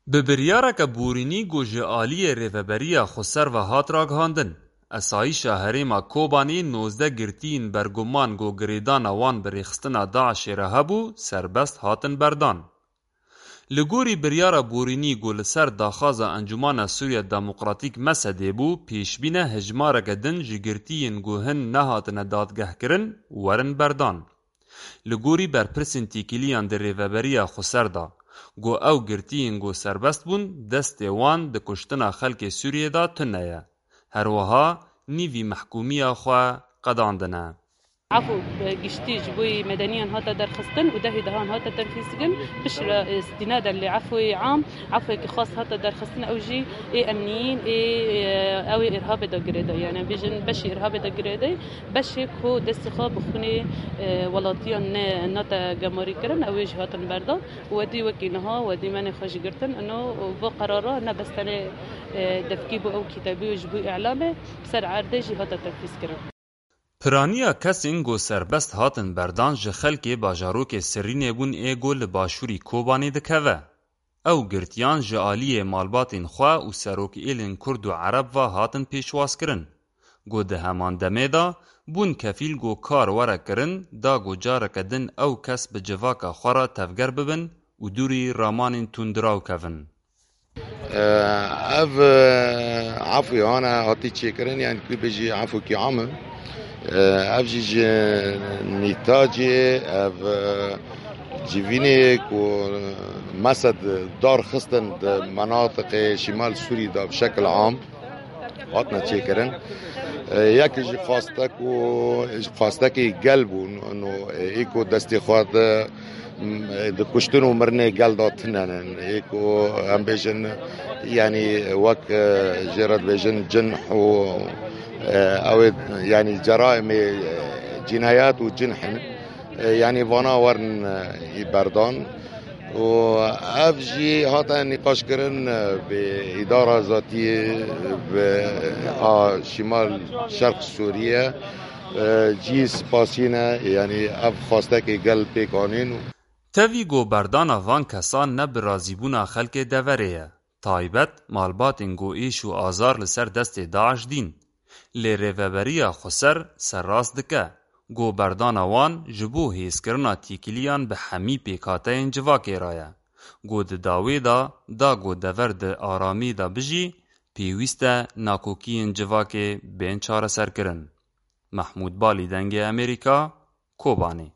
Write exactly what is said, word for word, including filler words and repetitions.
Bi biryareke borînî ku ji aliyê Rêveberiya Xweser ve hat ragihandin, Esayîşa Herêma Kobanê nozdeh girtiyên berguman ku girêdana wan bi rêxistina DAIŞê re hebû, serbest hatin berdan. Li gorî biryara borînî ku li ser daxwaza Encûmana Sûriya Demokratîk, mesedê, bû, pêşbîn e hejmareke din ji girtiyên ku hin nehatine dadgehkirin, werin berdan. Li gorî berpirsên têkiliyan di Rêveberiya Xweser de, ku ew girtiyên ku serbest bûn, destê wan di kuştina xelkê Sûriyê de tune ye. Her wiha nîvî mehkûmiya xwe qedandine. Efû giştî ji bo medeniyan hate derxistin û dehê dehan hate tenfîzkirin. Piştre, e, îstînaden li efûyê am, efûyekî xas hate derxistin, ew jî ê emniyîn, ê, e, ew ê îrhabê de girêdayî. Yani bêjin beşê îrhabê de girêdayî, beşê ku destê xwe bi xwînê, e, welatiyan ne, nate gemarîkirin, ew ê jî hatin berdan. Wedî wekî niha, wedî menê xwe jî girtin. Ino va qerara ne bes tenê, e, devkî bû ew kîtebî û ji bo îlamê, ser erdê jî hate tenfîzkirin. Piraniya kesên ku serbest hatin berdan ji xelkê bajarokê Sirînê bûn ê ku li başûrî Kobanê dikeve. Ew girtiyan ji aliyê malbatên xwe û serokêlên Kurd û Ereb ve hatin pêşwazkirin. Ku di heman demê de bûn kefîl ku kar were kirin, da ku careke din ew kes bi civaka xwe re tevger bibin û dûrî ramanên tundiraw kevin. Ev, e, efû hane hatî çêkirin, yani tu bêjî efûkî am e. E, ev jî ji nîtacê, ev, e, civînê ku mesed dar xistin di menatiqê şîmal Sûrî de bi şekil am hatine çêkirin. E, yek ji xwastek û xwastekî gel bûn, no, e, ê ku destê xwe di, m, di kuştin û mirinê gel de tune ne. Ê ku em bêjin, yani wek, e, jê re dibêjin cinh û, e, ew ê, yani ceraimê, e, cînayet û cinh in. E, yani vana werin, e, î berdan. û ev jî hate nîqaşkirin, e, bi îdara zatiyê, bi a Şîmal Şerq Sûriye, e, cî spasî ne, yani ev xwastekê gel pêk anîn. Tevî ku berdana van kesan ne bi razîbûna xelkê deverê ye, taybet malbatên ku êş û azar li ser destê DAIŞ dîn. Lê Rêveberiya Xweser serrast dike ku berdana wan ji bo hêzkirina têkiliyan bi hemî pêkhateyên civakê re ye. Ku di dawê de, da ku dever di aramî de bijî, pêwîst e nakokiyên civakê bên çareserkirin. Mehmûd Balî, Dengê Amerîka, Kobanê.